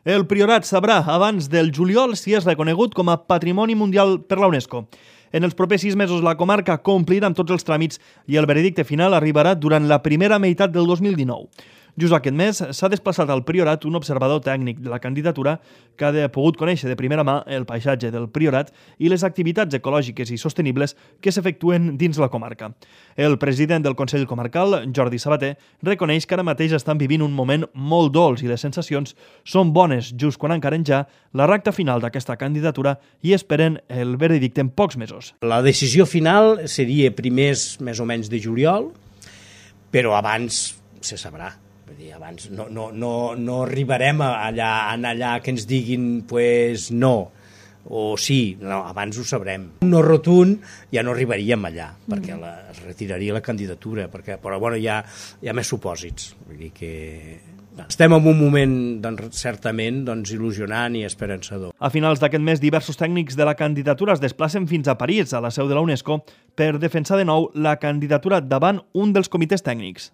El Priorat sabrà abans del juliol si és reconegut com a Patrimoni Mundial per la UNESCO. En els propers 6 mesos la comarca complirà amb tots els tràmits i el veredicte final arribarà durant la primera meitat del 2019. Just aquest mes s'ha desplaçat al Priorat un observador tècnic de la candidatura que ha pogut conèixer de primera mà el paisatge del Priorat i les activitats ecològiques i sostenibles que s'efectuen dins la comarca. El president del Consell Comarcal, Jordi Sabater, reconeix que ara mateix estan vivint un moment molt dolç i les sensacions són bones just quan encaren ja la recta final d'aquesta candidatura i esperen el veredicte en pocs mesos. La decisió final seria primers més o menys de juliol, però abans se sabrà. Abans no arribarem allà que ens diguin pues, no o sí, no, abans ho sabrem. No rotund ja no arribaríem allà perquè es retiraria la candidatura, però bueno, hi ha més supòsits. Vull dir que estem en un moment certament il·lusionant i esperançador. A finals d'aquest mes, diversos tècnics de la candidatura es desplacen fins a París, a la seu de la UNESCO, per defensar de nou la candidatura davant un dels comitès tècnics.